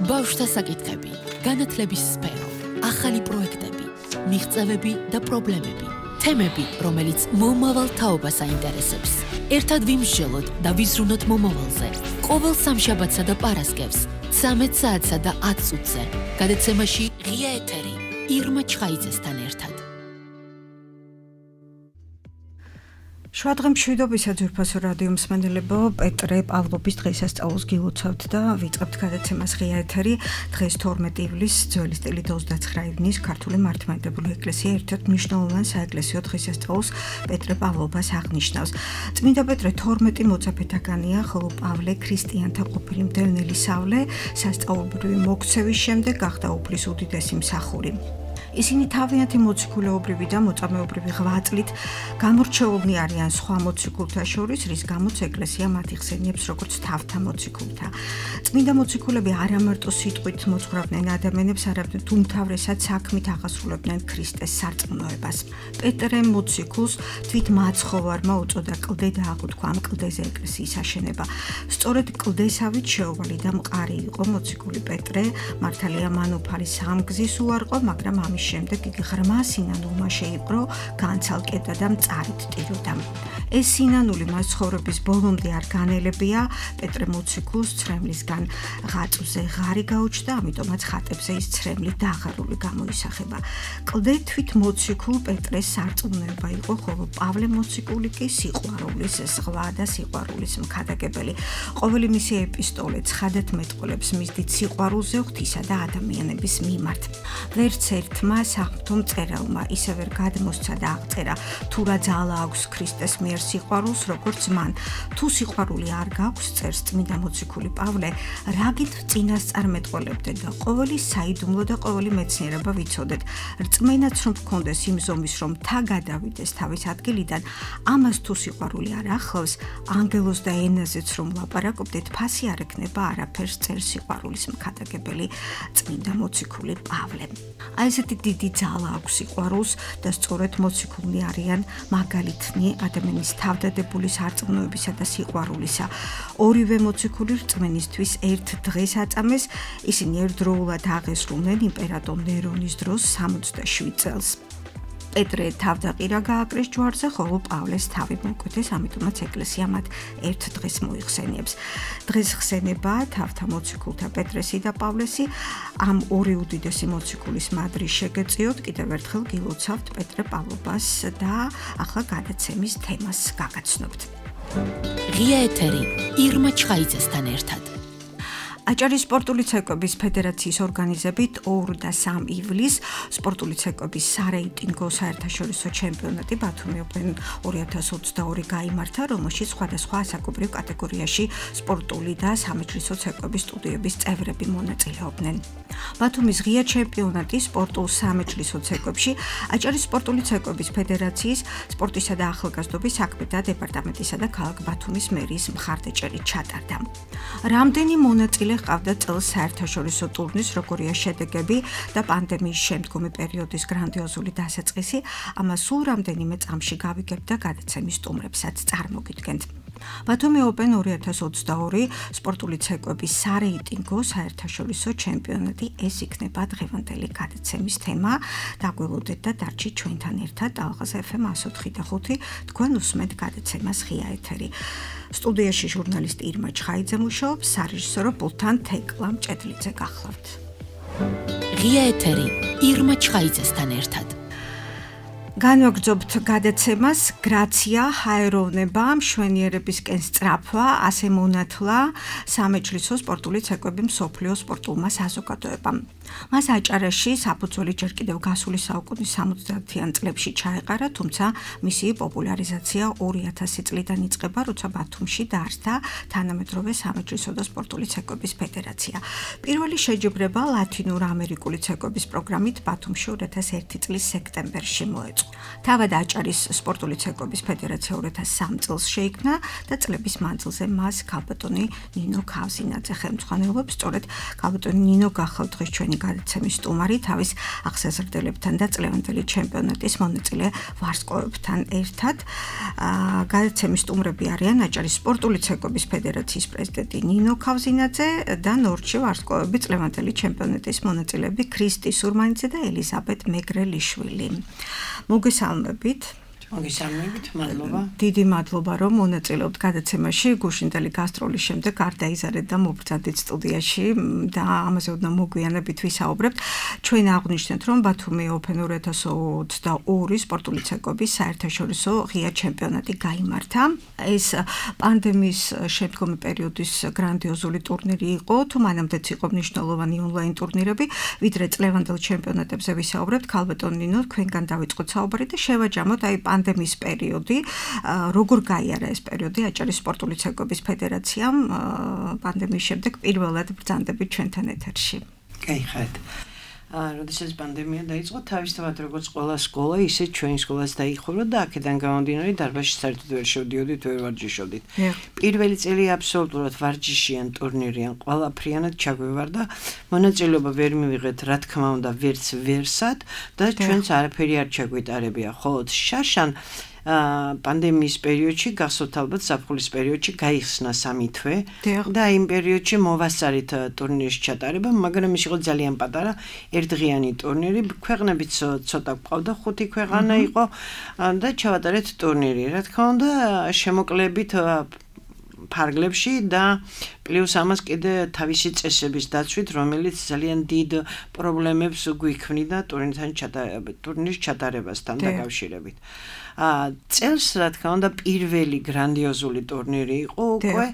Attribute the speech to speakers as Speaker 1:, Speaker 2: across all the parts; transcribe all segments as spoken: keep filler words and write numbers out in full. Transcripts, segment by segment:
Speaker 1: ბავშვთა საკითხები, განათლების სფერო, ახალი პროექტები, მიღწევები და პრობლემები, თემები, რომელიც მომავალ თაობას აინტერესებს. ერთად ვიმსჯელოთ და ვიზრუნოთ მომავალზე. ყოველ სამშაბათსა და პარასკევს, ცამეტ საათსა და ათ წუთზე, გადაცემაში ღია ეთერი, ირმა ჩხაიძესთან ერთად.
Speaker 2: შვადღე მშვიდობისა ძვირფასო რადიო მსმენელებო, პეტრე პავლობის დღესასწაულს გილოცავთ და ვიწყებთ გადაცემას ღია ეთერი. დღეს თორმეტი ივლისს, ძველი სტილით ოცდაცხრა ივნის, ქართული მართლმადიდებლური ეკლესია ერთ-ერთ მნიშვნელოვან საეკლესიო დღესასწაულს პეტრე პავლობას აღნიშნავს. წმინდა პეტრე თორმეტი მოწაფეთაგანია, ხოლო პავლე ქრისტიანთა ყოფილი მდევნელი სავლე, სასწაულბრივი მოქცევის შემდეგ გახდა უფლის უდიდესი მსახური. ისინი თავიანთი მოციქულეობრივი და მოწამეობრივი ღვაწლით გამორჩეულნი არიან სხვა მოციქულთა შორის, რის გამოც ეკლესია მათ იხსენიებს როგორც თავთა მოციქულთა. წმინდა მოციქულები არა მარტო სიტყვით მოძღვრავდნენ ადამიანებს, არამედ უმთავრესად საქმით აღასრულებდნენ ქრისტეს სარწმუნოებას. პეტრე მოციქულს თვით მაცხოვარმა უწოდა კლდე და აღუთქვა ამ კლდეზე ეკლესიის აშენება. სწორედ კლდესავით შეუვალი და მყარი იყო მოციქული პეტრე, მართალია მან უფალი სამგზის უარყო, მაგრამ ამის შემდეგ იგი ღრმა სინანულმა შეიპყრო, განცალკედა და მწარით ტიროდა. ეს სინანული მას ცხოვრების ბოლომდე არ განელებია, პეტრე მოციქულს ცრემლისგან ღაწვზე ღარი გაუჩნდა, ამიტომაც ხატებზე ის ცრემლი დაღარული გამოისახება. კლდე თვით მოციქულ პეტრეს სარწმუნოება იყო, ხოლო პავლე მოციქული კი სიყვარულის ზღვა და სიყვარულის მქადაგებელი. ყოველი მისი ეპისტოლე ცხადად მეტყოლებს მის დიდ სიყვარულზე ღვთისა და ადამიანების მიმართ. ვერც ერთმა საღვთო მწერალმა ისე ვერ გადმოსცა და აღწერა, თუ რა ძალა აქვს ქრისტეს მიერ სიყვარულს, როგორც მან. თუ სიყვარული არ გაქვს, წერს წმინდა მოციქული პავლე, რაგით წინასწარმეტყოლებდეთ და ყოველი საიდუმლო და ყოველი მეცნიერება ვიცოდეთ. რწმენაც რომ გქონდეს იმ ზომის, რომ თა გადავიდეს თავის ადგილიდან, ამას თუ სიყვარული არ ახლავს, ანგელოს და ენაზეც რომ ლაპარაკობდეთ, ფასი არ ექნება არაფერს, წერს სიყვარულის მქადაგებელი წმინდა მოციქული პავლე. აი ესეთი დიდი ძალა აქვს სიყვარულს და სწორედ მოციქულნი არიან მაგალითნი ადამიანის თავდადებული სარწმუნოებისა და სიყვარულისა. ორივე მოციქული რწმენისთვის ერთ დღეს აწამეს, ისინი ერთდროულად აღესრულნენ იმპერატორ ნერონის დროს სამოცდაშვიდ წელს. პეტრე თავდაყირა გააკრეს ჯვარზე, ხოლო პავლეს თავი მოკვეთეს, ამიტომაც ეკლესია მათ ერთ დღეს მოიხსენიებს. დღეს ხსენება თავთა მოციქულთა პეტრესი და პავლესი, ამ ორი უდიდესი მოციქულის მადრი შეგეწიოთ, კიდევ ერთხელ გილოცავთ პეტრე პავლობას და ახლა გადაცემის თემას გაგაცნობთ.
Speaker 1: ღია ეთერი, ირმა ჩხაიძესთან ერთად.
Speaker 2: აჭარის სპორტული ცეკვების ფედერაციის ორგანიზებით ორ და სამ ივლისს სპორტული ცეკვების სარეიტინგო საერთაშორისო ჩემპიონატი ბათუმი ოპენ ორი ათას ოცდაორი გაიმართა, რომელშიც სხვადასხვა ასაკობრივ კატეგორიაში სპორტული და სამეჩრისო ცეკვების სტუდიების წევრები მონაწილეობდნენ. ბათუმის ღია ჩემპიონატი სპორტულ სამეჩრისო ცეკვებში აჭარის სპორტული ცეკვების ფედერაციის სპორტისა და ახალგაზრდობის საქმეთა დეპარტამენტისა და ქალაქ ბათუმის მერიის მხარდაჭერით ჩატარდა. რამდენი მონაწილე ყავდა წელს საერთაშორისო ტურნირის, როგორია შედეგები და პანდემიის შემდგომი პერიოდის გრანდიოზული დასაწყისი, ამას სულ რამდენიმე წამში გავიგებთ და გადაცემის სტუმრებსაც წარმოგიდგენთ. ბათუმი ოპენ ორი ათას ოცდაორი სპორტული ცეკვების სარეიტინგო საერთაშორისო ჩემპიონატი, ეს იქნება დღევანდელი გადაცემის თემა. დაგველოდეთ და დარჩით ჩვენთან ერთად ალღაზ ეფ ემ εκατო ოთხი და ხუთი, თქვენ უსმენთ გადაცემას ღია ეთერი. სტუდიაში ჟურნალისტი ირმა ჩხაიძე მუშაობს, სარეჟისორო პულტთან თეკლა მჭედლიძე გახლავთ.
Speaker 1: ღია ეთერი, ირმა ჩხაიძესთან ერთად.
Speaker 2: განვაგრძობთ გადაცემას, გრაცია, ჰაეროვნება, მშვენიერებისკენ სწრაფვა, ასე მონათლა სამეჩრისო სპორტული ცეკვები მსოფლიო სპორტულმა საზოგადოებამ. მას აჭარაში საფუძველი ჯერ კიდევ გასული საუკუნის სამოცდაათიან წლებში ჩაეყარა, თუმცა მისი პოპულარიზაცია ორი ათასი წლიდან იწყება, როცა ბათუმში დაარსდა თანამედროვე სამეჩრისო და სპორტული ცეკვების ფედერაცია. პირველი შეჯიბრება ლათინურ ამერიკული ცეკვების პროგრამით ბათუმში ორი ათას ერთი წლის სექტემბერში მოეწყო. თავად აჭარის სპორტული ცეკვების ფედერაცია two thousand three წელს შეიქმნა და წლების მანძილზე მას ქალბატონი ნინო ქავზინაძე ხელმძღვანელობს. სწორედ ქალბატონი ნინო გახლავთ დღეს ჩვენი გადაცემის სტუმარი, თავის აღსაზრდებლებთან და წლევანდელი ჩემპიონატის მონაწილე ვარსკვლავებთან ერთად. გადაცემის სტუმრები არიან აჭარის სპორტული ცეკვების ფედერაციის პრეზიდენტი ნინო ქავზინაძე და ნორჩი ვარსკვლავები წლევანდელი ჩემპიონატის მონაწილეები ქრისტი სურმანიძე და ელიზაბეთ მეგრელიშვილი. მოგესალმებით.
Speaker 3: მოგესალმებით, მადლობა.
Speaker 2: დიდი მადლობა, რომ მონაწილეობთ გადაცემაში. გუშინდელი გასტროლის შემდეგ არ დაიზარეთ და მობრძანდით სტუდიაში და ამაზე ოდნავ მოგვიანებით ვისაუბრებთ. ჩვენ აღვნიშნეთ, რომ ბათუმი Open two thousand twenty-two სპორტული ცეკვების საერთაშორისო ღია ჩემპიონატი გაიმართა. ეს პანდემიის შემდგომი პერიოდის გრანდიოზული ტურნირი იყო, თუ მანამდეც იყო მნიშვნელოვანი ონლაინ ტურნირები, ვიდრე წლევანდელ ჩემპიონატებზე ვისაუბრებთ. ქალბატონ ნინო, თქვენგან დავიწყოთ საუბარი და შევაჯამოთ აი პანდემიის პერიოდი, როგორ გაიარა ეს პერიოდი აჭარის სპორტული ცეკვების ფედერაციამ პანდემიის შემდეგ პირველად ბრძანდებით ჩვენთან ეთერში.
Speaker 3: გაიხარეთ. როდესაც პანდემია დაიწყო, თავისთავად როგორც ყველა სკოლა, ისე ჩვენი სკოლაც დაიხურო და აქედან გამომდინარე დარბაზში საერთოდ ვერ შევდიოდით, ვერ ვარჯიშობდით. პირველი წელი აბსოლუტურად ვარჯიშიან, ტურნირიან, ყველაფრიანად ჩაგვევარდა. მონაწილეობა ვერ მივიღეთ, რა თქმა უნდა, ვერც ვერსად და ჩვენც არაფერი არ ჩაგვიტარებია. ხოლო შაშან პანდემიის პერიოდში, გახსოვთ ალბათ ზაფხულის პერიოდში გაიხსნა სამი თვე და იმ პერიოდში მოვასწარით ტურნირის ჩატარება, მაგრამ ის იყო ძალიან პატარა ერთდღიანი ტურნირი, ქვეყნებიც ცოტა გვყავდა, ხუთი ქვეყანა იყო და ჩავატარეთ ტურნირი. რა თქმა უნდა, შემოკლებით ფარგლებში და პლუს ამას კიდე თავისი წესების დაცვით, რომელიც ძალიან დიდ პრობლემებს გვიქმნიდა ტურნირთან ჩატარება, ტურნირის ჩატარებასთან დაკავშირებით. წელს, რა თქმა უნდა, პირველი გრანდიოზული ტურნირი იყო უკვე.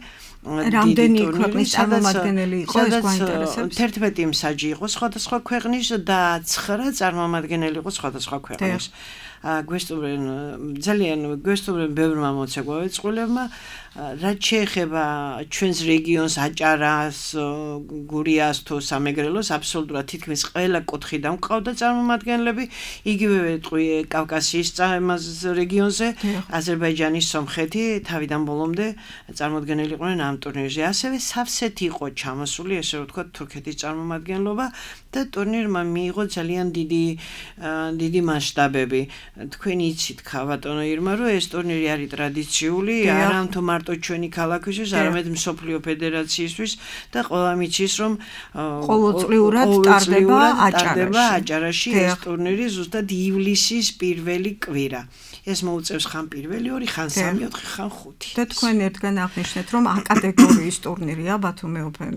Speaker 2: რამდენი ქვეყნის წარმომადგენელი იყო ეს გვაინტერესებს?
Speaker 3: თერთმეტი მსაჯი იყო სხვადასხვა ქვეყნის და ცხრა წარმომადგენელი იყო სხვადასხვა ქვეყნის. გვესტუმრენ ძალიან გვესტუმრენ ბევრმა მოცეკვავე წყვილებმა, რაც შეეხება ჩვენს რეგიონს, აჭარას, გურიას თუ სამეგრელოს, აბსოლუტურად თითქმის ყველა კუთხიდან გვყავდა წარმომადგენლები, იგივე ვეტყვი კავკასიის რეგიონზე, აზერბაიჯანის, სომხეთი თავიდან ბოლომდე წარმოდგენილი იყვნენ ამ ტურნირზე. ასევე სავსეთი იყო ჩამოსული, ესე რომ ვთქვათ, თურქეთის წარმომადგენლობა და ტურნირმა მიიღო ძალიან დიდი დიდი მასშტაბები. თქვენ იცით, ქალბატონო ირმა, რომ ეს ტურნირი არის ტრადიციული, არა თუ მარტო ჩვენი ქალაქისთვის, არამედ მსოფლიო ფედერაციისთვის და ყველა მიცის, რომ
Speaker 2: ყოველწლიურად ტარდება
Speaker 3: აჭარაში ეს ტურნირი ზუსტად ივლისის პირველი კვირა. ეს მოუწევს ხან პირველი ორი, ხან სამი, ოთხი, ხან ხუთი.
Speaker 2: და თქვენ ერთგან აღნიშნეთ, რომ ა კატეგორიის ტურნირია ბათუმი Open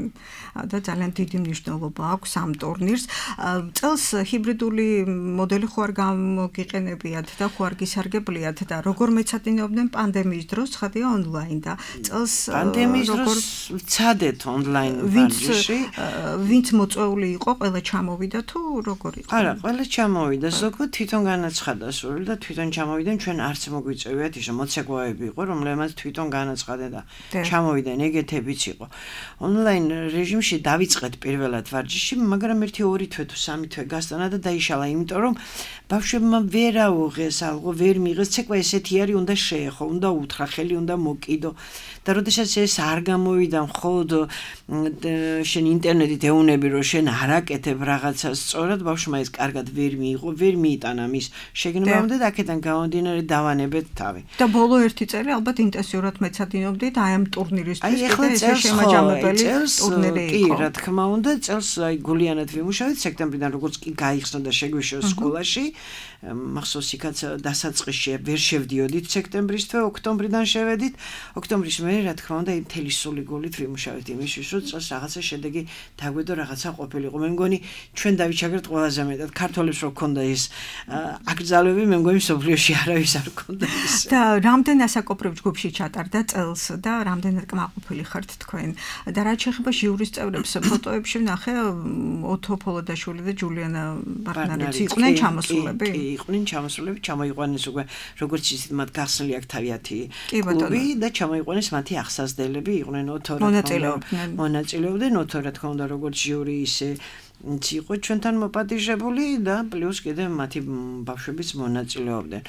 Speaker 2: და ძალიან დიდი მნიშვნელობა აქვს ამ ტურნირს. წელს ჰიბრიდული მოდელი ხო არ გამოგიყენებიათ და ხო არ გისარგებლიათ და როგორ მეცადინეობდნენ პანდემიის დროს, ცხადია ონლაინ და წელს
Speaker 3: პანდემიის დროს ვცადეთ ონლაინ ვარჯიში.
Speaker 2: ვინც მოწვეული იყო, ყველა ჩამოვიდა თუ როგორ იყო?
Speaker 3: არა, ყველა ჩამოვიდა, ზოგადად თვითონ განაცხადა სული და თვითონ ჩამოვიდა. ჩვენ არც მოგვიწევიათ ისე მოცეკვავები იყო, რომლებმაც თვითონ განაცხადა და ჩამოვიდნენ, ეგეთებიც იყო. ონლაინ რეჟიმში დავიწყეთ პირველად ვარჯიში, მაგრამ ერთი ორი თვე თუ სამი თვე გასტანა და დაიშალა, იმიტომ რომ ბავშვებმა ვერ აუღეს, ალღო ვერ მიიღეს, ცეკვა ესეთი არის, უნდა შეეხო, უნდა უთხრა, ხელი უნდა მოკიდო. და როდესაც ეს არ გამოვიდა, მხოლოდ შენ ინტერნეტით ეუნები, რომ შენ არ აკეთებ რაღაცას სწორად, ბავშვმა ეს კარგად ვერ მიიღო, ვერ მიიტანა მის შეგნებამდე და აქედან გამომდინარე დავანებეთ თავი.
Speaker 2: და ბოლო ერთი წელი ალბათ ინტენსიურად მეცადინობდით აი ამ ტურნირისთვის, კიდე ესე შემაჯამებელი ტურნირი იყო.
Speaker 3: კი, რა თქმა უნდა, წელს აი გულიანად ვიმუშავეთ სექტემბრიდან, როგორც კი გაიხსნა და შეგვიშო სკოლაში. მახსოვს იქაც დასაწყისში ვერ შევდიოდით სექტემბრის თვე, ოქტომბრიდან შევედით. ოქტომბრის მერე, რა თქმა უნდა, მთელი სული გულით ვიმუშავეთ იმისთვის, რომ წელს რაღაცა შედეგი დაგვედო, რაღაცა ყოფილიყო. მე მგონი ჩვენ დავიჩაგრეთ ყველაზე მეტად. ქართველებს რო ქონდა ის აკრძალვები, მე მგონი სოფლიოში არავის არ ქონდა ის.
Speaker 2: და რამდენ ასაკობრივ ჯგუფში ჩატარდა წელს და რამდენად კმაყოფილი ხართ თქვენ? და რაც შეეხება ჟიურის წევრებს, ფოტოებში ვნახე ოთო ფოლოდაშვილი და ჯულიანა ბარნარიც იყვნენ ჩამოსულები.
Speaker 3: იყვნენ ჩამოსულები, ჩამოიყვანეს უკვე როგორც ისეთ მათ გახსნილი აქ თავიანთი კლუბი და ჩამოიყვანეს მათი აღსაზრდელები, იყვნენ ოთო რა თქმა უნდა მონაწილეობდნენ, ოთო რა თქმა უნდა როგორც ჟიური ისე იყო ჩვენთან მოპატიჟებული და პლუს კიდე მათი ბავშვებიც მონაწილეობდნენ.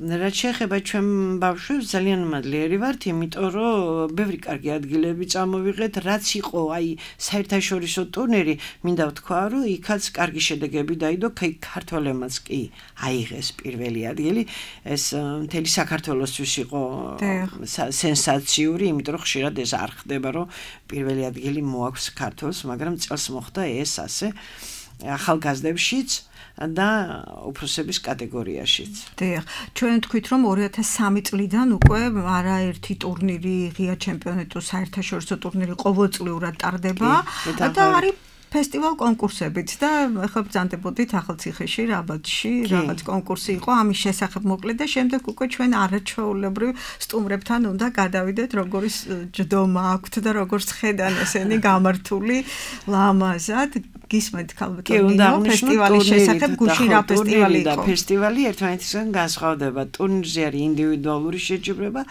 Speaker 3: რაც შეეხება ჩვენ ბავშვებს ძალიან მადლიერი ვართ, იმიტომ რომ ბევრი კარგი ადგილები წამოვიღეთ, რაც იყო აი საერთაშორისო ტურნირი, მინდა ვთქვა, რომ იქაც კარგი შედეგები დაიდო, ქართველებმაც კი აიღეს პირველი ადგილი, ეს მთელი საქართველოსთვის იყო სენსაციური, იმიტომ რომ ხშირად ეს არ ხდება, რომ პირველი ადგილი მოაქვს ქართველს, მაგრამ წელს მოხდა ეს ასე ახალგაზრდებშიც და უფროსების კატეგორიაშიც.
Speaker 2: დიახ, ჩვენ თქვით რომ ორი ათას სამი წლიდან უკვე არაერთი ტურნირი, ღია ჩემპიონატო, საერთაშორისო ტურნირი ყოველწლიურად ტარდება და არის ფესტივალ კონკურსებიც და ახლა ბრძანდებოდით ახალციხეში, რაბათში, რაღაც კონკურსი იყო, ამის შესახებ მოკლედ და შემდეგ უკვე ჩვენ არაჩვეულებრივ სტუმრებთან უნდა გადავიდეთ, როგორი ჯდომა აქვთ და როგორც ხედან ესენი გამართული ლამაზად. გისმენთ ქალბატონო ფესტივალის შესახებ გუშინ რა ფესტივალი იყო?
Speaker 3: და ფესტივალი ერთმანეთისგან განსხვავდება. ტურნირზე არის ინდივიდუალური შეჯიბრება,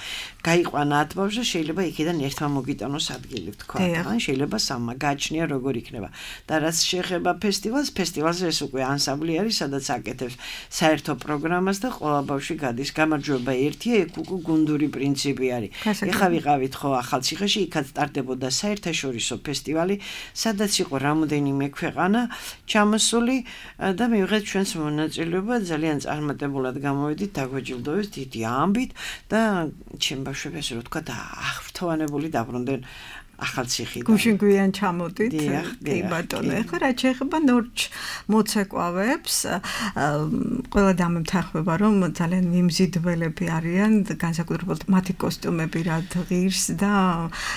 Speaker 3: გაიყვანა ათ ბავშვს, შეიძლება იქიდან ერთმა მოგიტანოს ადგილი, თქვა. ან შეიძლება სამმა გააჩნია როგორ იქნება. და რაც შეეხება ფესტივალს, ფესტივალზე ეს უკვე ანსამბლი არის, სადაც აკეთებს საერთო პროგრამას და ყველა ბავშვი გადის. გამარჯვება ერთია, ეგ უკვე გუნდური პრინციპი არის. ეხლა ვიყავით ხო ახალციხეში, იქაც ტარდებოდა საერთაშორისო ფესტივალი, სადაც იყო რამოდენიმე ქვეყანა ჩამოსული და მივიღეთ ჩვენს მონაწილეობა, ძალიან წარმატებულად გამოვედით, დაგვეჯილდოვეს დიდი ამბით და ჩემ ბავშვებს ესე რომ თქვა და აღფრთოვანებული დაბრუნდნენ ახალციხიდან.
Speaker 2: გუშინ გვიან ჩამოდით. კი ბატონო, ეხლა რა შეეხება ნორჩ მოცეკვავებს, ყველა დამემთახება რომ ძალიან მიმზიდველები არიან, განსაკუთრებულად მათი კოსტიუმები რა ღირს და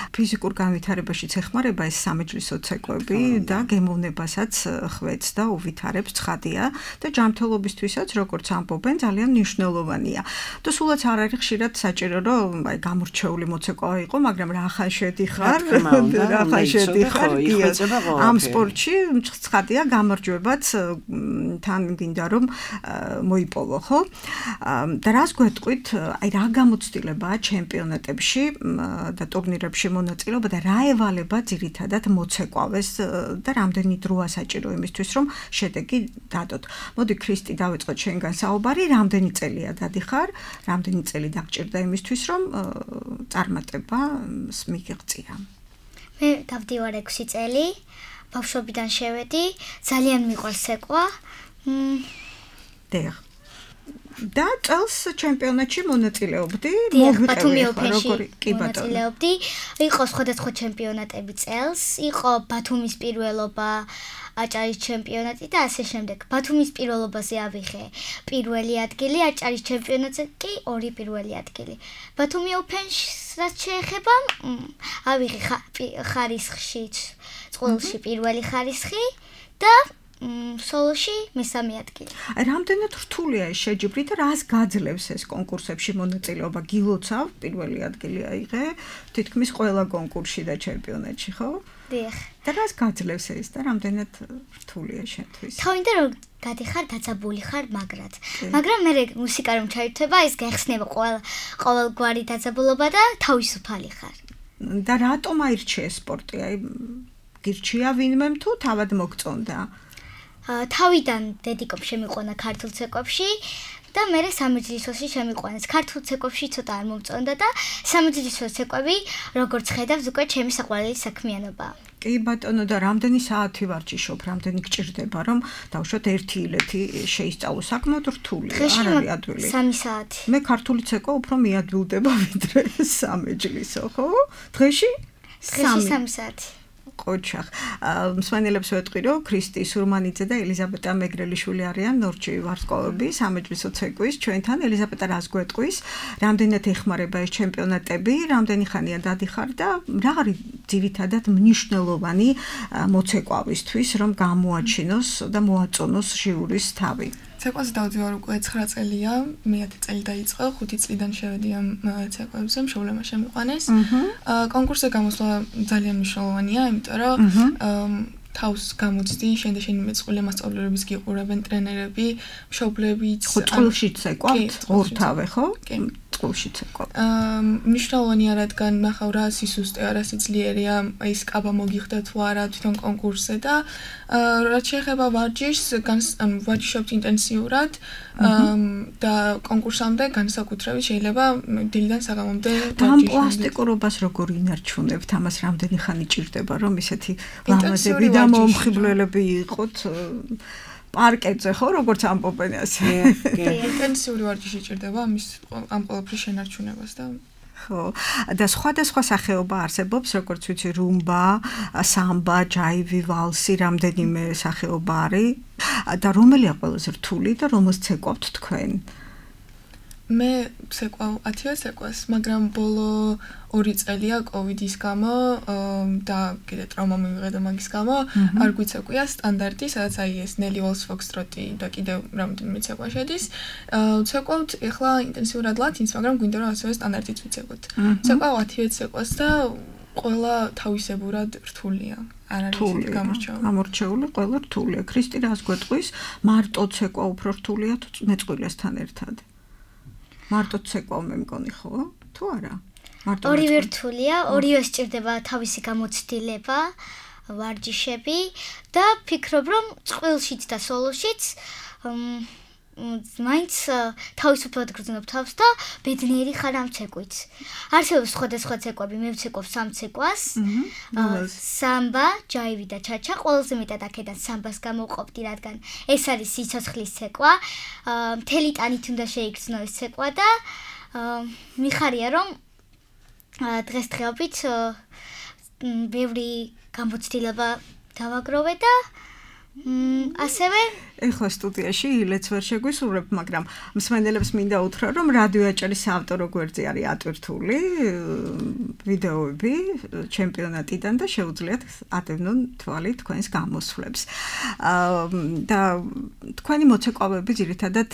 Speaker 2: ფიზიკურ განვითარებაშიც ეხმარება ეს სამეჯლისო ცეკვები და გემოვნებასაც ხვეწს და უვითარებს ცხადია და ჯანმრთელობისთვისაც როგორც ამბობენ ძალიან მნიშვნელოვანია. და სულაც არ არის ხშირად საჭირო რომ აი გამორჩეული მოცეკვავა იყო, მაგრამ რა ხან შედიხარ რა შედიხარ ამ სპორტში ცხადია გამარჯვებაც თან გინდა რომ მოიპოვო ხო და რას გვეტყვით აი რა გამოცდილებაა ჩემპიონატებში და ტურნირებში მონაწილეობა და რა ევალება ძირითადად მოცეკვავეს და რამდენი დროა საჭირო იმისთვის რომ შედეგი დადოთ. მოდი ქრისტი დავიწყოთ შენგან საუბარი, რამდენი წელია დადიხარ, რამდენი წელი დაგჭირდა იმისთვის რომ წარმატება მიგიღწია.
Speaker 4: მე დავდივარ ექვსი წელი, ბავშვობიდან შევედი, ძალიან მიყვარს ცეკვა.
Speaker 2: დიახ. და წელს ჩემპიონატში მონაწილეობდი,
Speaker 4: მოგვითები როგორი კი ბატონო. მონაწილეობდი, იყო სხვადასხვა ჩემპიონატები წელს, იყო ბათუმის პირველობა, აჭარის ჩემპიონატი და ასე შემდეგ. ბათუმის პირველობაზე ავიღე პირველი ადგილი, აჭარის ჩემპიონატზე კი ორი პირველი ადგილი. ბათუმი ოპენს რაც შეეხება, ავიღე ხარისხში, წყვილში პირველი ხარისხი და სოლოში მესამე ადგილი.
Speaker 2: რამდენად რთულია ეს შეჯიბრი და რას გაძლევს ეს კონკურსებში მონაწილეობა? გილოცავ პირველი ადგილი აიღე, თითქმის ყველა კონკურსში და ჩემპიონატში, ხო?
Speaker 4: დიახ.
Speaker 2: და რას გაძლევს ეს და რამდენად რთულია შენთვის?
Speaker 4: თავიდან რომ გადიხარ დაწაბული ხარ მაგრად. მაგრამ მე მუსიკა რომ ჩაირთვება, ეს გახსნება ყოველ ყოველგვარი დაძაბულობა და თავისუფალი ხარ.
Speaker 2: და რატომ აირჩიე სპორტი? აი გირჩია ვინმემ თუ თავად მოგწონდა?
Speaker 4: თავიდან დედიკომ შემიყვანა ქართულ ცეკვებში და მე სამეჯლისოში შემიყვანეს. ქართულ ცეკვებში ცოტა არ მომწონდა და სამეჯლისო ცეკვები როგორც ხედავს უკვე ჩემი საყვარელი საქმიანობაა.
Speaker 2: კი ბატონო და რამდენი საათი ვარჯიშობ, რამდენი გჭირდება რომ დავუშვათ ერთი ილეთი შეისწავლო, საკმაოდ რთულია, არ არის ადვილი.
Speaker 4: სამი საათი.
Speaker 2: მე ქართული ცეკვა უფრო მიადვილდება ვიდრე სამეჯლისო, ხო? დღეში
Speaker 4: სამი საათი.
Speaker 2: ყოჩახ. მსმენელებს ვეტყვი, რომ ქრისტი სურმანიძე და ელიზაბეტა მეგრელიშვილი არიან ნორჩი ვარსკვლავები სამეჯლისო ცეკვის. ჩვენთან ელიზაბეტა რას გვეტყვის? რამდენად ეხმარება ეს ჩემპიონატები, რამდენი ხანია დადიხარ და რა არის ძირითადად მნიშვნელოვანი მოცეკვავისთვის, რომ გამოაჩინოს და მოაწონოს ჟიურის თავი?
Speaker 5: ცეკვაზე დავდივარ უკვე ცხრა წელია, მეათე წელი დაიწყო, ხუთი წლიდან შევედი ამ ცეკვებზე, მშობლებმა შემიყვანეს. კონკურსზე გამოსვლა ძალიან მნიშვნელოვანია, იმიტომ რომ თავს გამოცდი, შენ და შენი მეწყვილე მასწავლებლებიც გიყურებენ, ტრენერები, მშობლებიც.
Speaker 2: ხო, წყვილში ცეკვავთ ორთავე, ხო? წყულში ცეკვავ?
Speaker 5: აა მნიშვნელოვანია რადგან ნახავ რა სისუსტეა, რა სიძლიერეა, ის კაბა მოგიხდა თუ არა თვითონ კონკურსზე და რაც შეეხება ვარჯიშს, ანუ ვარჯიშობთ ინტენსიურად და კონკურსამდე განსაკუთრებით შეიძლება დილიდან საღამომდე
Speaker 2: ვარჯიშობთ. და ამ პლასტიკურობას როგორ ინარჩუნებთ? ამას რამდენი ხანი ჭირდება, რომ ისეთი ლამაზები და მომხიბვლელები იყოთ? პარკეტზე ხო როგორც ამბობენ ასე.
Speaker 5: ინტენსიური ვარჯიში ჭირდება ამის ამ ყველაფრის შენარჩუნებას და
Speaker 2: ხო და სხვადასხვა სახეობა არსებობს როგორც ვიცი რუმბა, სამბა, ჯაივი, ვალსი, რამდენიმე სახეობა არის და რომელია ყველაზე რთული და რომელს ცეკვავთ თქვენ?
Speaker 5: მე ცეკვავ ათივე ცეკვას, მაგრამ ბოლო ორი წელია კოვიდის გამო და კიდე ტრაუმა მივიღე მაგის გამო არ გვიცეკვია სტანდარტი, სადაც აი ეს ნელი ვალს ფოქსტროტი და კიდე რამდენიმე ცეკვა შედის. ცეკვავთ ეხლა ინტენსიურად ლათინს, მაგრამ გვინდა რომ ასევე სტანდარტიც ვიცეკვოთ. ცეკვავ ათივე ცეკვას და ყველა თავისებურად რთულია. არ არის გამორჩეული.
Speaker 2: გამორჩეული ყველა რთულია. ქრისტი რას გვეტყვის? მარტო ცეკვა უფრო რთულია თუ მეწყვილესთან ერთად? მარტო ცეკვავ მე მგონი ხო? თუ არა? მარტო
Speaker 4: ორივე რთულია, ორივე სჭირდება თავისი გამოცდილება, ვარჯიშები და ფიქრობ რომ წყვილშიც და სოლოშიც მაინც თავისუფლად გრძნობ თავს და ბედნიერი ხარ ამ ცეკვით. არსებობს სხვადასხვა ცეკვები, მე ვცეკვავ სამ ცეკვას. სამბა, ჯაივი და ჩაჩა, ყველაზე მეტად აქედან სამბას გამოვყოფდი, რადგან ეს არის სიცოცხლის ცეკვა. მთელი ტანით უნდა შეიგრძნო ეს ცეკვა და მიხარია რომ დღესდღეობით ბევრი გამოცდილება დავაგროვე და ასევე
Speaker 2: ეხლა სტუდიაში ილეც ვერ შეგვისურვებ, მაგრამ მსმენელებს მინდა უთხრა, რომ რადიო აჭარის საავტორო გვერდზე არის ატვირთული ვიდეოები ჩემპიონატიდან და შეუძლიათ ატევნონ თვალი თქვენს გამოსვლებს. და თქვენი მოცეკვავები ძირითადად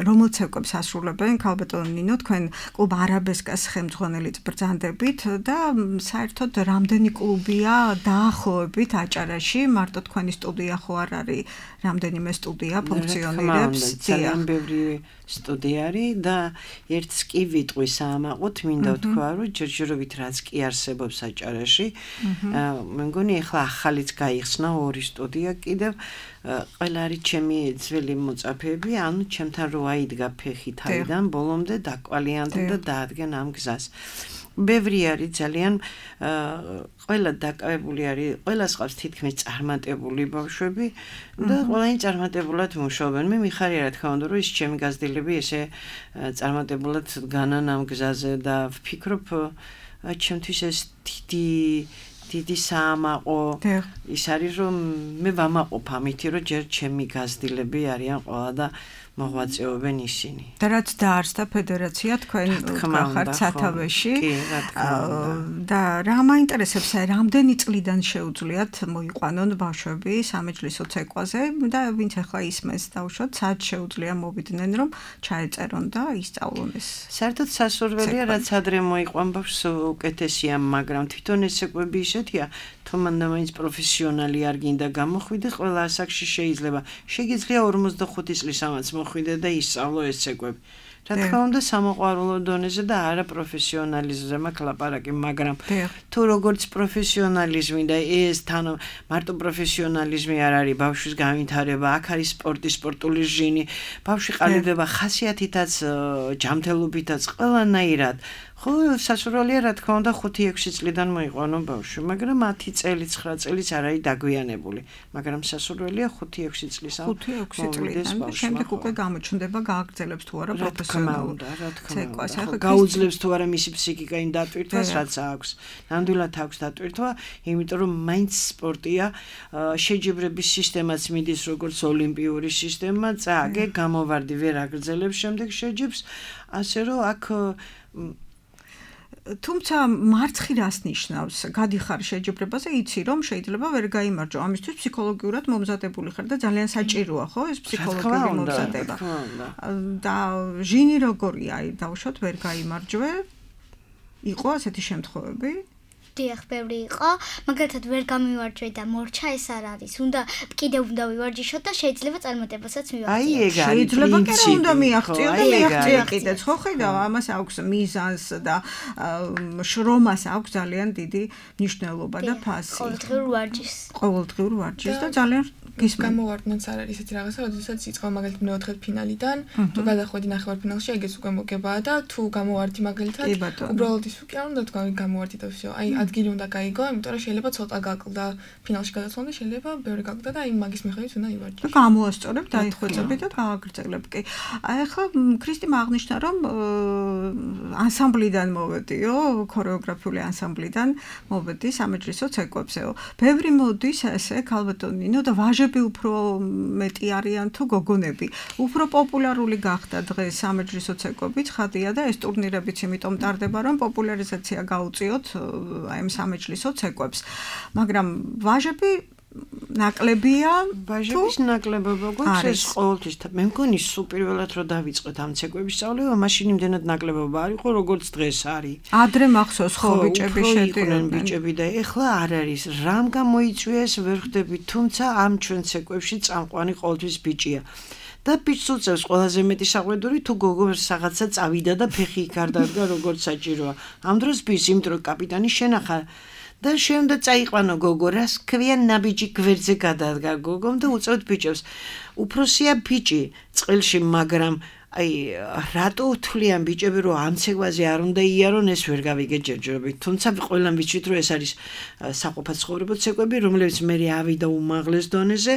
Speaker 2: რომელ ცეკვებს ასრულებენ? ქალბატონო ნინო, თქვენ კლუბ არაბესკას ხელმძღვანელიც ბრძანდებით და საერთოდ რამდენი კლუბია დაახლოებით აჭარაში? მარტო თქვენი სტუდია ხო არ არის? რამდენიმე სტუდია ფუნქციონირებს.
Speaker 3: ძალიან ბევრი სტუდია არის და ერთს კი ვიტყვი საამაყოთ, მინდა ვთქვა, რომ ჯერჯერობით რაც კი არსებობს აჭარაში, მე მგონი ახლა ახალიც გაიხსნა ორი სტუდია კიდევ ყველა არის ჩემი ძველი მოწაფეები, ანუ ჩემთან რო აიდგა ფეხი თავიდან ბოლომდე დაკვალიანდა და დაადგენ ამ გზას. ბევრი არის ძალიან ყველა დაკავებული არის, ყველას ყავს თითქმის წარმატებული ბავშვები და ყველანი წარმატებულად მუშაობენ. მე მიხარია რა თქმა უნდა, რომ ის ჩემი გაზრდილები ესე წარმატებულად დგანან ამ გზაზე და ვფიქრობ, ჩემთვის ეს დიდი დიდი საამაყო ის არის, რომ მე ვამაყობ ამით, რომ ჯერ ჩემი გაზრდილები არიან ყველა და მოღვაწეობენ ისინი.
Speaker 2: და რაც დაარსდა ფედერაცია თქვენ გახართ სათავეში და რა მაინტერესებს, რამდენი წლიდან შეუძლიათ მოიყვანონ ბავშვები სამეჯლისო ცეკვაზე და ვინც ახლა ისმენს დავუშვათ, სად შეუძლია მოვიდნენ რომ ჩაეწერონ და ისწავლონ ეს.
Speaker 3: საერთოდ სასურველია რაც ადრე მოიყვან ბავშვს უკეთესია, მაგრამ თვითონ ეს ცეკვები ისეთია, თუ მანდა მაინც პროფესიონალი არ გინდა გამოხვიდე, ყველა ასაკში შეიძლება. შეგიძლია ორმოცდახუთი წლისამაც მოხვიდე და ისწავლო ეს ცეკვები. რა თქმა უნდა სამოყვარულო დონეზე და არა პროფესიონალიზმზე მაქვს ლაპარაკი, მაგრამ თუ როგორც პროფესიონალიზმი და ეს თან მარტო პროფესიონალიზმი არ არის ბავშვის განვითარება, აქ არის სპორტი, სპორტული ჟინი, ბავშვი ყალიბდება ხასიათითაც, ჯანმრთელობითაც, ყველანაირად. ხო, სასურველია რა თქმა უნდა ხუთი ექვსი წლიდან მოიყვანო ბავშვი, მაგრამ ათი წელი, ცხრა წელიც არ არის დაგვიანებული, მაგრამ სასურველია ხუთი ექვსი წლისამ.
Speaker 2: ხუთი ექვსი წლიდან და შემდეგ უკვე გამოჩნდება, გააგრძელებს თუ არა პროფესიონალურ ცეკვას.
Speaker 3: გაუძლებს თუ არა მისი ფსიქიკა იმ დატვირთვას, რაც აქვს. ნამდვილად აქვს დატვირთვა, იმიტომ რომ მაინც სპორტია, შეჯიბრების სისტემაც მიდის როგორც ოლიმპიური სისტემა, წააგე, გამოვარდი, ვერ აგრძელებს შემდეგ შეჯიბრს, ასე რომ აქ
Speaker 2: თუმცა მარცხი რას ნიშნავს? გადიხარ შეჯიბრებაზე, იცი რომ შეიძლება ვერ გაიმარჯო. ამისთვის ფსიქოლოგიურად მომზადებული ხარ და ძალიან საჭიროა, ხო, ეს ფსიქოლოგიური მომზადება. და ჟინი როგორია? აი, დავუშვათ ვერ გაიმარჯვე. იყო ასეთი შემთხვევები?
Speaker 4: დიახ, ბევრი იყო, მაგალითად ვერ გამივარჯვე და მორჩა ეს არ არის. უნდა კიდევ უნდა ვივარჯიშოთ და შეიძლება წარმატებასაც მივაღწიოთ.
Speaker 3: აი ეგ არის.
Speaker 2: შეიძლება კი რა უნდა მიაღწიო და მიაღწია კიდეც, ხო ხედავ, ამას აქვს მიზანს და შრომას აქვს ძალიან დიდი მნიშვნელობა და ფასი.
Speaker 4: ყოველდღიურ ვარჯიშს.
Speaker 2: ყოველდღიურ ვარჯიშს და ძალიან
Speaker 5: გამოვარდნაც არ არის ისეთი რაღაცა, როდესაც იწყო მაგალითად მეოთხე ფინალიდან, თუ გადახვედი ნახევარფინალში, ეგეც უკვე მოგებაა და თუ გამოვარდი მაგალითად, უბრალოდ ის უკვე არ უნდა თქვა გამოვარდი და всё. აი ადგილი უნდა გაიგო, იმიტომ რომ შეიძლება ცოტა გაკლდა ფინალში გადასვლა და შეიძლება ბევრი გაკლდა და აი მაგის მიხედვით უნდა ივარჯიშო.
Speaker 2: და გამოასწორებ, დაიხვეწები და გააგრძელებ კი. აი ახლა ქრისტიმ აღნიშნა რომ ანსამბლიდან მოვედიო, ქორეოგრაფიული ანსამბლიდან მოვედი სამეჯლისო ცეკვებსეო. ბევრი მოდის ესე ქალბატონინო და ვაჟები უფრო მეტი არიან თუ გოგონები. უფრო პოპულარული გახდა დღეს სამეჯლისო ცეკვები, ცხადია და ეს ტურნირებიც იმიტომ ტარდება, რომ პოპულარიზაცია გაუწიოთ აი ამ სამეჯლისო ცეკვებს. მაგრამ ვაჟები ნაკლებია,
Speaker 3: ვაჟების ნაკლებობა გვაქვს ეს ყოველთვის. მე მგონი სულ პირველად რომ დავიწყეთ ამ ცეკვების სწავლება, მაშინ იმდენად ნაკლებობა არ იყო, როგორც დღეს არის.
Speaker 2: ადრე მახსოვს ხო ბიჭები შედიოდნენ
Speaker 3: ბიჭები და ეხლა არ არის. რამ გამოიწვია ეს ვერ ხვდები, თუმცა ამ ჩვენ ცეკვებში წამყვანი ყოველთვის ბიჭია. და ბიჭს უწევს ყველაზე მეტი საყვედური თუ გოგო რაღაცა წავიდა და ფეხი იქ არ დადგა როგორც საჭიროა. ამ დროს ბიჭს იმიტომ რომ კაპიტანი შენახა და შენ უნდა წაიყვანო გოგო, რას ქვია ნაბიჯი გვერდზე გადადგა გოგომ და უწევთ ბიჭებს. უფროსია ბიჭი წყილში, მაგრამ აი რატო თვლიან ბიჭები რომ ამ ცეკვაზე არ უნდა იარონ, ეს ვერ გავიგე ჯერჯერობით. თუმცა ყველა ვიცით რომ ეს არის საყოფაცხოვრებო ცეკვები, რომლებიც მე ავიდა უმაღლეს დონეზე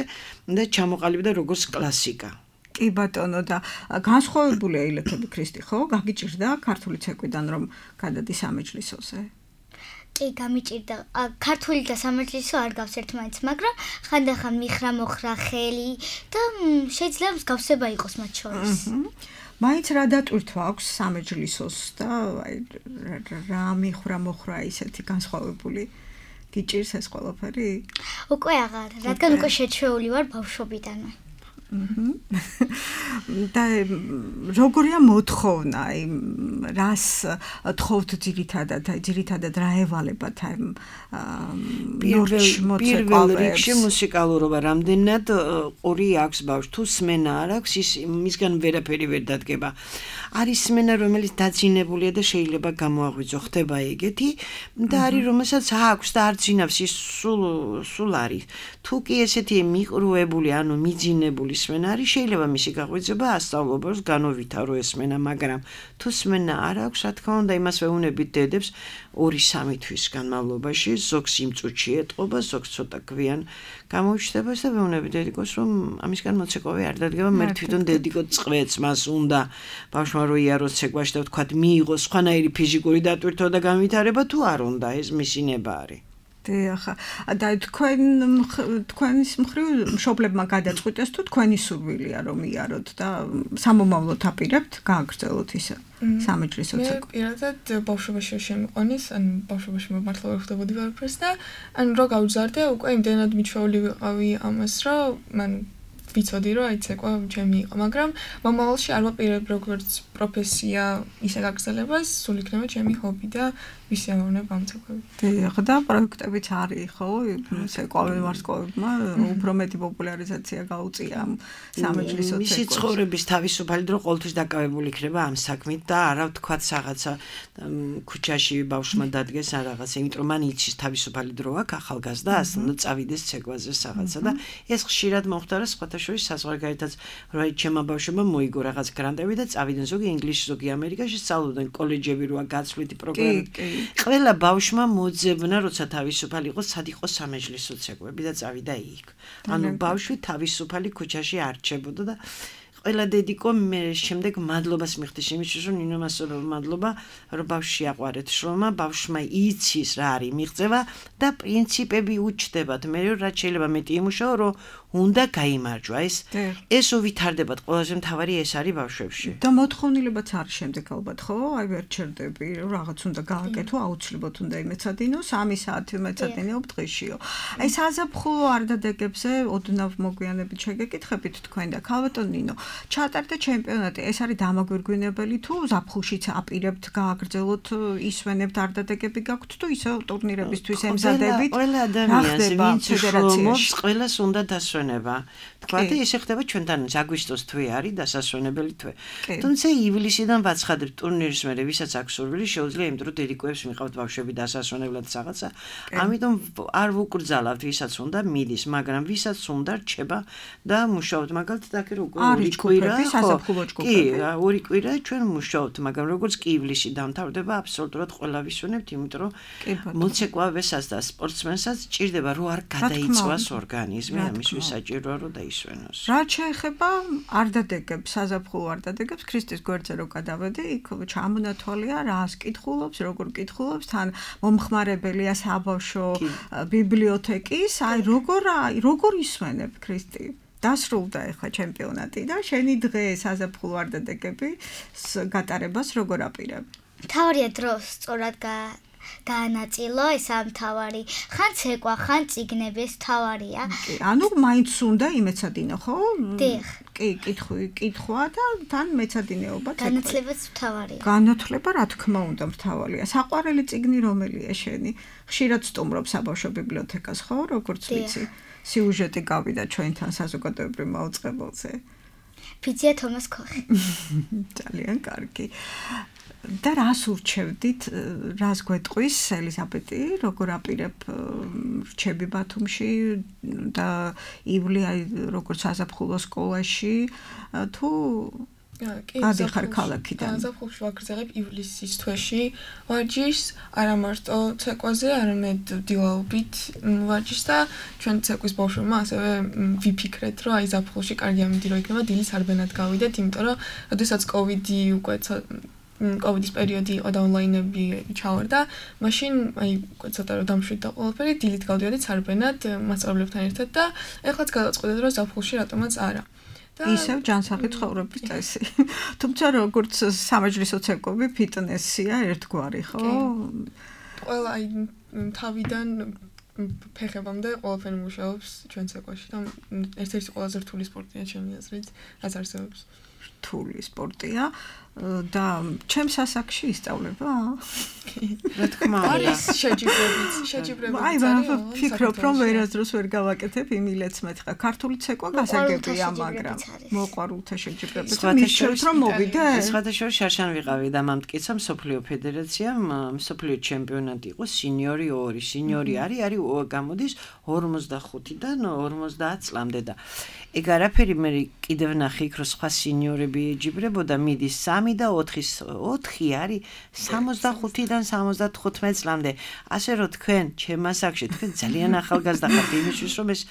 Speaker 3: და ჩამოყალიბდა როგორც კლასიკა.
Speaker 2: კი ბატონო და განსხვავებული ელეთები ქრისტი ხო? გაგიჭირდა ქართული ცეკვიდან რომ გადადი სამეჯლისოზე?
Speaker 4: კი, გამიჭირდა. ქართული და სამეჯლისო არ გავს ერთმანეთს, მაგრამ ხანდახან მიხრა მოხრა ხელი და შეიძლება მსგავსება იყოს მათ შორის.
Speaker 2: მაინც რა დატვირთვა აქვს სამეჯლისოს და აი რა მიხრა მოხრა ისეთი განსხვავებული გიჭირს ეს ყველაფერი?
Speaker 4: უკვე აღარ, რადგან უკვე შეჩვეული ვარ ბავშვობიდანვე.
Speaker 2: და როგორია მოთხოვნა, აი რას თხოვთ ძირითადად, აი ძირითადად რა ევალებათ აი
Speaker 3: პირველ რიგში მუსიკალურობა, რამდენად ყური აქვს ბავშვს, თუ სმენა არ აქვს, ის მისგან ვერაფერი ვერ დადგება. არის სმენა, რომელიც დაძინებულია და შეიძლება გამოაღვიძო, ხდება ეგეთი და არის რომელსაც აქვს და არ ძინავს, ის სულ სულ არის. თუ კი ესეთი მიყრუებული, ანუ მიძინებული სმენა არის, შეიძლება მისი გაღვიძება ასწავლებლებს განოვითარო ეს სმენა, მაგრამ თუ სმენა არ აქვს, რა თქმა უნდა, იმას ვეუბნებით დედებს ორი სამი თვის განმავლობაში, ზოგს იმ წუთში ეტყობა, ზოგს ცოტა გვიან გამოიჩნდება და ვეუბნებით დედიკოს, რომ ამისგან მოცეკვავე არ დადგება, მე თვითონ დედიკო წყვეც მას უნდა ბავშვმა რო იაროს ცეკვაში და ვთქვათ, მიიღოს სხვანაირი ფიზიკური დატვირთვა და განვითარება, თუ არ უნდა, ეს მისი ნება არის.
Speaker 2: დიახ, და თქვენ თქვენის მხრივ მშობლებმა გადაწყვიტეს თუ თქვენი სურვილია რომ იაროთ და სამომავლოდ აპირებთ გააგრძელოთ ისე სამეჯლისო ცეკვი.
Speaker 5: მე პირადად ბავშვობაში შემიყვანეს, ან ბავშვობაში მართლა ვერ ხვდებოდი ვერაფერს და ან რო გავზარდე, უკვე იმდენად მიჩვეული ვიყავი ამას, რომ მან ვიცოდი რომ აი ცეკვა ჩემი იყო, მაგრამ მომავალში არ ვაპირებ როგორც პროფესია ისე გაგრძელებას, სულ იქნება ჩემი ჰობი და ვისიამოვნებ ამ ცეკვებით.
Speaker 2: დიახ, და პროექტებიც არის, ხო? ცეკვავე ვარსკვლავებმა უფრო მეტი პოპულარიზაცია გაუწია ამ სამეჯლისო ცეკვებს.
Speaker 3: მისი ცხოვრების თავისუფალი დრო ყოველთვის დაკავებული იქნება ამ საქმით და არა ვთქვათ რაღაცა ქუჩაში ბავშვმა დადგეს ან რაღაცა, იმიტომ რომ მან იცის თავისუფალი დრო აქვს ახალგაზრდა, ასე წავიდეს ცეკვაზე რაღაცა და ეს ხშირად მოხდა სხვათა შორის საზღვარგარეთაც, რომ აი ჩემმა ბავშვებმა მოიგო რაღაც გრანტები და წავიდნენ ზოგი ინგლისში, ზოგი ამერიკაში, სწავლობდნენ კოლეჯები როა გაცვლითი პროგრამები. ყველა ბავშვმა მოძებნა, როცა თავისუფალი იყო, სად იყო სამეჯლისო ცეკვები და წავიდა იქ. ანუ ბავშვი თავისუფალი ქუჩაში არჩებოდა და ყველა დედიკო მე შემდეგ მადლობას მიხდის იმისთვის, რომ ნინო მასწავლებლო მადლობა, რომ ბავშვი აყვარეთ შრომა, ბავშვმა იცის რა არის მიღწევა და პრინციპები უჩნდებათ. მე რაც შეიძლება მეტი იმუშაო, რომ უნდა გაიმარჯვა ეს ეს უვითარდებათ, ყველაზე მთავარი ეს არის ბავშვებში.
Speaker 2: და მოთხოვნილებაც არის შემდეგ ალბათ, ხო? აი ვერ ჩერდები, რომ რაღაც უნდა გააკეთო, აუცილებლად უნდა იმეცადინო, სამი საათი მეცადინეო დღეშიო. აი საზაფხულო არდადეგებზე ოდნავ მოგვიანებით შეგეკითხებით თქვენ და ქალბატონ ნინო, ჩატარდა ჩემპიონატი. ეს არის დამაგვირგვინებელი თუ ზაფხულშიც აპირებთ გააგრძელოთ, ისვენებთ არდადეგები გაქვთ თუ ისე ტურნირებისთვის ემზადებით.
Speaker 3: ყველა ადამიანს ვინც უშრომობს, ყველას უნდა დასვენება. თქვათ ესე ხდება ჩვენთან აგვისტოს თვე არის დასასვენებელი თვე. თუმცა ივლისიდან ვაცხადებთ ტურნირის მერე, ვისაც აქვს სურვილი, შეუძლია იმ დროს დედიკოებს მიყავთ ბავშვები დასასვენებლად რაღაცა. ამიტომ არ ვუკრძალავთ, ვისაც უნდა მიდის, მაგრამ ვისაც უნდა რჩება და მუშაობთ, მაგალითად აქ როგორ ორი კვირა, კი, ორი კვირა ჩვენ მუშაობთ, მაგრამ როგორც კი ივლისი დამთავრდება, აბსოლუტურად ყველა ვისვენებთ, იმიტომ რომ მოცეკვავესაც და სპორტსმენსაც ჭირდება რომ არ გადაიწვას ორგანიზმი, ამისთვის საჭიროა რომ დაისვენოს.
Speaker 2: რაც შეეხება არდადეგებს, საზაფხულო არდადეგებს, ქრისტეს გვერდზე რო გადავედი, იქ ჩამონათვალია რას კითხულობს, როგორ კითხულობს, თან მომხმარებელია საბავშვო ბიბლიოთეკის, აი როგორ როგორ ისვენებ ქრისტე? დასრულდა ახლა ჩემპიონატი და შენი დღე საზაფხულო არდადეგები გატარებას როგორ აპირებ?
Speaker 4: თავარია დროს სწორად გაანაწილო ეს ამთავარი. ხან ცეკვა, ხან წიგნების თავარია.
Speaker 2: კი, ანუ მაინც უნდა იმეცადინო, ხო?
Speaker 4: დიახ.
Speaker 2: კი, კითხვი, კითხვა და თან მეცადინეობა ცეკვა.
Speaker 4: განათლებაც მთავარია.
Speaker 2: განათლება რა თქმა უნდა მთავარია. საყვარელი წიგნი რომელია შენი? ხშირად სტუმრობ საბავშვო ბიბლიოთეკას, ხო, როგორც ვიცი? სიუჟეტი გავიდა ჩვენთან საზოგადოებრივ მაუწყებელზე.
Speaker 4: ფიცია თომას ქოხი.
Speaker 2: ძალიან კარგი. და რას ურჩევდით, რას გვეტყვის ელიზაბეტი, როგორ აპირებ რჩები ბათუმში და ივლი აი როგორც საზაფხულო სკოლაში თუ გადიხარ ქალაქიდან?
Speaker 5: საზაფხულში ვაგრძელებ ივლისის თვეში ვარჯიშს, არა მარტო ცეკვაზე, არამედ დილაობით ვარჯიშს და ჩვენ ცეკვის ბავშვებმა ასევე ვიფიქრეთ, რომ აი ზაფხულში კარგი ამინდირო იქნება, დილის არბენად გავიდეთ, იმიტომ რომ როდესაც კოვიდი უკვე კოვიდის პერიოდი იყო და ონლაინები ჩავარდა, მაშინ აი ცოტა რომ დამშვიდდა ყველაფერი, დილით გავდიოდით სარბენად მასწავლებლებთან ერთად და ეხლაც გადავწყვეტეთ, რომ ზაფხულში რატომაც არა.
Speaker 2: ისევ ჯანსაღი ცხოვრების წესი. თუმცა როგორც სამეჯლისო ცეკვები ფიტნესია ერთგვარი, ხო?
Speaker 5: ყველა აი თავიდან ფეხებამდე ყველაფერი მუშაობს ჩვენ ცეკვაში და ერთ-ერთი ყველაზე რთული სპორტია ჩემი აზრით, რაც არსებობს.
Speaker 2: რთული სპორტია და ჩემს ასაკში ისწავლება?
Speaker 3: რა თქმა უნდა.
Speaker 5: არის შეჯიბრებიც, შეჯიბრებიც.
Speaker 2: აი, ვფიქრობ, რომ ვერასდროს ვერ გავაკეთებ იმილეც მეთქა. ქართული ცეკვა გასაგებია, მაგრამ მოყვარულთა შეჯიბრებიც. მისჩევთ რომ მოვიდე?
Speaker 3: სხვადასხვა შარშან ვიყავი და მამტკიცა მსოფლიო ფედერაციამ მსოფლიო ჩემპიონატი იყო სინიორი ორი. სინიორი არის, არის გამოდის ორმოცდახუთიდან ორმოცდაათ წლამდე და ეგ არაფერი მე კიდევ ნახე იქ რომ სხვა სინიორები ეჯიბრებოდა, მიდის სამი და ოთხი, ოთხი არის სამოცდახუთიდან სამოცდათხუთმეტ წლამდე. ასე რომ თქვენ ჩემ ასაკში თქვენ ძალიან ახალგაზრდა ხართ იმისთვის რომ ეს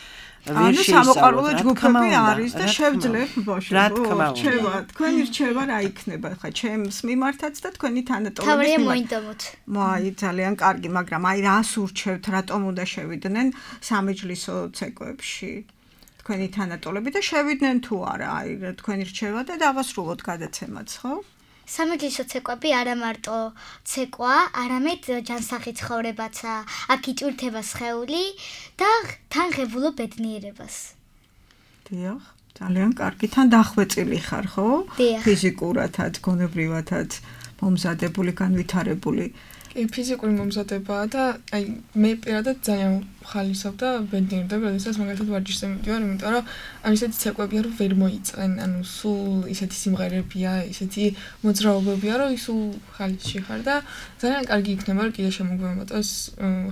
Speaker 2: ანუ სამოყვარულო ჯგუფები არის და შევძლებ ბავშვებო.
Speaker 3: რა თქმა უნდა.
Speaker 2: რჩევა, თქვენი რჩევა რა იქნება ხა ჩემს მიმართაც და თქვენი თანატოლების
Speaker 4: თავარია მოინდომოთ.
Speaker 2: მაი ძალიან კარგი, მაგრამ აი რას ურჩევთ, რატომ უნდა შევიდნენ სამეჯლისო ცეკვებში? თქვენი თანატოლები და შევიდნენ თუ არა, აი თქვენი რჩევა და დავასრულოთ გადაცემაც, ხო?
Speaker 4: სამეჯლისო ცეკვები არა მარტო ცეკვა, არამედ ჯანსაღი ცხოვრებაცა, აქ იწვრთება სხეული და თან ღებულობ ბედნიერებას.
Speaker 2: დიახ, ძალიან კარგი, თან დახვეწილი ხარ, ხო? ფიზიკურათაც, გონებრივათაც მომზადებული, განვითარებული.
Speaker 5: კი, ფიზიკური მომზადებაა და აი მე პირადად ძალიან ხალისობ და ბედნიერდები, როდესაც მაგალითად ვარჯიშზე მივდივარ, იმიტომ რომ ამ ისეთი ცეკვებია, რომ ვერ მოიწენ, ანუ სულ ისეთი სიმღერებია, ისეთი მოძრაობებია, რომ სულ ხალისში ხარ და ძალიან კარგი იქნება, რომ კიდე შემოგვემატოს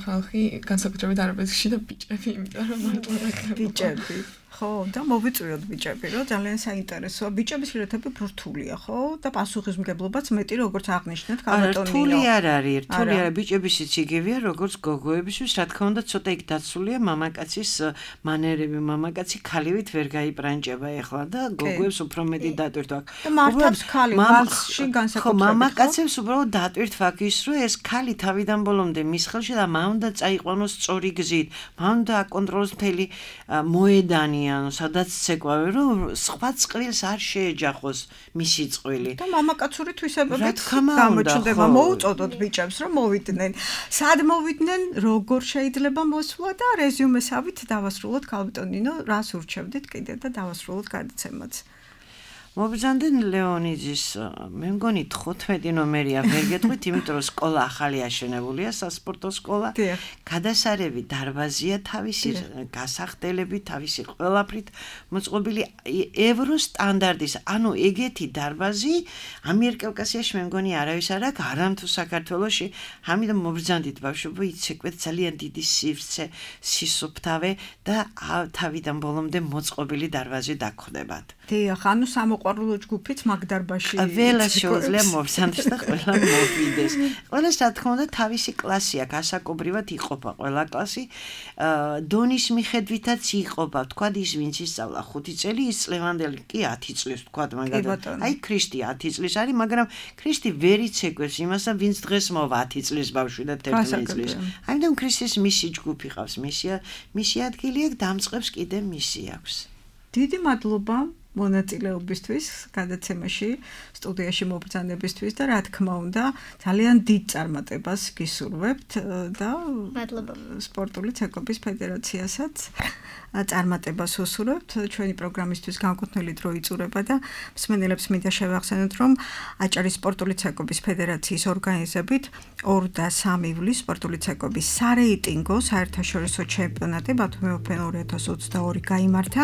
Speaker 5: ხალხი, განსაკუთრებით არაბეთში და ბიჭები, იმიტომ რომ მარტო
Speaker 2: ბიჭები ხო, და მოვიწვიოთ ბიჭები, რომ ძალიან საინტერესოა. ბიჭების რთები რთულია, ხო? და პასუხისმგებლობაც მეტი, როგორც აღნიშნეთ,
Speaker 3: კაბატონინო. რთული არ არის, რთული არა, ბიჭებისიც იგივეა, როგორც გოგოებისთვის, რა თქმა უნდა, ცოტა იქ დაცულია მამაკაცის მანერები, მამაკაცი ქალივით ვერ გაიბრანჭება ეხლა და გოგოებს უფრო მეტი დატვირთ აქვს.
Speaker 2: და მართავს ხალი ვალსში განსაკუთრებით.
Speaker 3: ხო, მამაკაცებს უბრალოდ დატვირთ ფაქი ის, რომ ეს ქალი თავიდან ბოლომდე მის ხელში და მან უნდა წაიყვანოს სწორი გზით, მან უნდა აკონტროლოს მთელი მოედანი, ანუ სადაც ცეკვავე, რომ სხვა წყვილს არ შეეჯახოს მისი წყვილი.
Speaker 2: და მამაკაცური თვისებებით გამოჩნდება, მოუწოდოთ ბიჭებს, რომ მოვიდნენ. სად მოვიდნენ, როგორ შეიძლება მოსვლა და რეზიუმესავით დავასრულოთ კალბატონინო, რას ურჩევდით კიდე და დავასრულოთ გადაცემაც.
Speaker 3: მობრძანდნენ ლეონიძის, მე მგონი თხუთმეტი ნომერია ვერ გეტყვით, იმიტომ რომ სკოლა ახალი აშენებულია, სასპორტო სკოლა. გადასარევი დარბაზია თავისი გასახდელებით, თავისი ყველაფრით მოწყობილი ევროს სტანდარტის. ანუ ეგეთი დარბაზი ამიერკავკასიაში მე მგონი არავის არ აქვს, არამთუ საქართველოში. ამიტომ მობრძანდით ბავშვებო, იცეკვეთ ძალიან დიდი სივრცე, სისუფთავე და თავიდან ბოლომდე მოწყობილი დარბაზი დაგხვდებათ.
Speaker 2: დიახ, ანუ სამოყვარულო ჯგუფიც მაგ დარბაზში.
Speaker 3: ყველა შეუძლია მოვსანდეს და ყველა მოვიდეს. ყველას რა თქმა უნდა თავისი კლასი აქვს, ასაკობრივად იყოფა ყველა კლასი. დონის მიხედვითაც იყოფა, თქვა ის ვინც ისწავლა ხუთი წელი, ის წლევანდელი კი ათი წლის თქვა მაგალითად. აი ქრისტი ათი წლის არის, მაგრამ ქრისტი ვერ იცეკვებს იმას, ვინც დღეს მოვა ათი წლის ბავშვი და თერთმეტი წლის. ამიტომ ქრისტის მისი ჯგუფი ყავს, მისი მისი ადგილი აქვს, დამწყებს კიდე მისი აქვს.
Speaker 2: დიდი მადლობა მონაწილეობისთვის გადაცემაში, სტუდიაში მობრძანებისთვის და რა თქმა უნდა, ძალიან დიდ წარმატებას გისურვებთ და
Speaker 4: მადლობა
Speaker 2: სპორტული ცეკვების ფედერაციასაც წარმატებას უსურვებთ. ჩვენი პროგრამისთვის განკუთვნილი დრო იწურება და მსმენელებს მინდა შევახსენოთ, რომ აჭარის სპორტული ცეკვების ფედერაციის ორგანიზებით ორი და სამი ივლისს სპორტული ცეკვების სარეიტინგო საერთაშორისო ჩემპიონატი ბათუმი ოფენ ორი ათას ოცდაორი გაიმართა,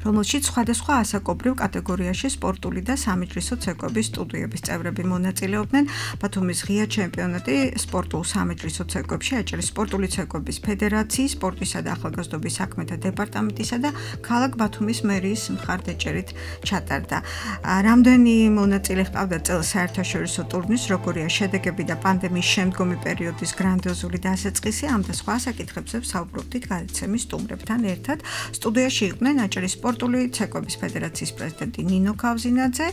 Speaker 2: რომელშიც სხვადასხვა ასაკობრივ კატეგორიაში სპორტული და სამეჯლისო ცეკვების სტუდიების წევრები მონაწილეობდნენ. ბათუმის ღია ჩემპიონატი სპორტულ სამეჯლისო ცეკვებში აჭარის სპორტული ცეკვების ფედერაციის, სპორტისა და ახალგაზრდობის საქმეთა დეპარტამენტისა და ქალაქ ბათუმის მერიის მხარდაჭერით ჩატარდა. რამდენი მონაწილე ჰყავდა წელს საერთაშორისო ტურნირს, როგორია შედეგები და პანდემიის შემდგომი პერიოდის გრანდიოზული დასაწყისი, ამ და სხვა საკითხებზე ვსაუბრობდით გადაცემის სტუმრებთან ერთად. სტუდიაში იყვნენ აჭარის სპორტული ცეკვების ფედერაციის პრეზიდენტი ნინო ქავზინაძე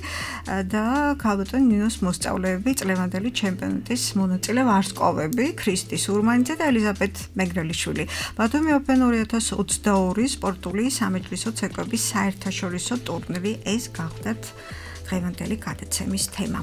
Speaker 2: და ქალბატონ ნინოს მოსწავლეები, წლევანდელი ჩემპიონატის მონაწილე ვარსკვლავები, ქრისტი სურმანიძე და ელიზაბეთ მეგრელიშვილი. ბათუმი ოფენ ორი ათას ოცდაორი სპორტული სამეჯლისო ცეკვების საერთაშორისო ტურნირი ეს გახდათ დღევანდელი გადაცემის თემა.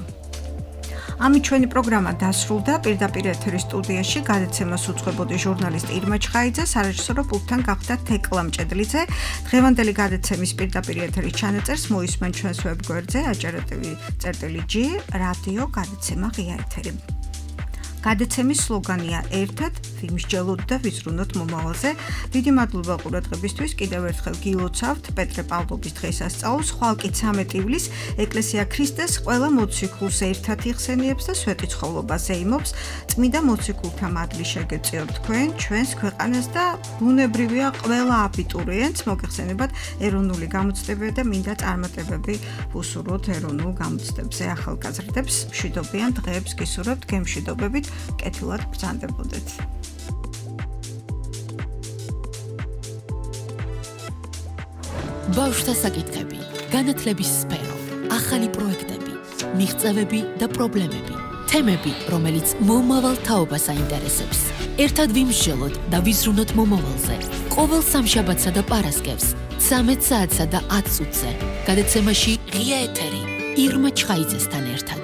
Speaker 2: ამით ჩვენი პროგრამა დასრულდა. პირდაპირ ეთერის სტუდიაში გადაცემას უძღვებოდი ჟურნალისტი ირმა ჩხაიძე, სარეჟისორო პულტთან გახდა თეკლა მჭედლიძე. დღევანდელი გადაცემის პირდაპირ ეთერის ჩანაწერს მოისმენ ჩვენს ვებგვერდზე aჭara.tv/g რადიო გადაცემა ღია ეთერი. გადაცემის სლოგანია ერთად ვიმსჯელოთ და ვიზრუნოთ მომავალზე. დიდი მადლობა ყურადღებისთვის. კიდევ ერთხელ გილოცავთ პეტრე პავლოვის დღესასწაულს. ხვალკი ცამეტი ივლისს ეკლესია ქრისტეს ყველა მოციქულს ერთად იხსენიებს და სვეტიცხოვლობას ეიმობს. წმიდა მოციქულთა მადლი შეგეწიოთ თქვენ, ჩვენს ქვეყანას და ბუნებრივია ყველა აბიტურიენტს მოგეხსენებათ ეროვნული გამოცდებები და მინდა წარმატებები უსურვოთ ეროვნულ გამოცდებებზე ახალგაზრდებს. მშვიდობიან დღეებს გისურვებთ, გემშვიდობებით. კეთილად ბრძანდებოდეთ.
Speaker 1: ბავშვთა საკითხები, განათლების სფერო, ახალი პროექტები, მიღწევები და პრობლემები, თემები, რომელიც მომავალ თაობას აინტერესებს. ერთად ვიმსჯელოთ და ვიზრუნოთ მომავალზე. ყოველ სამშაბათსა და პარასკევს, ცამეტ საათსა და ათ წუთზე. გადაცემაში ღია ეთერი ირმა ჩხაიძესთან ერთად.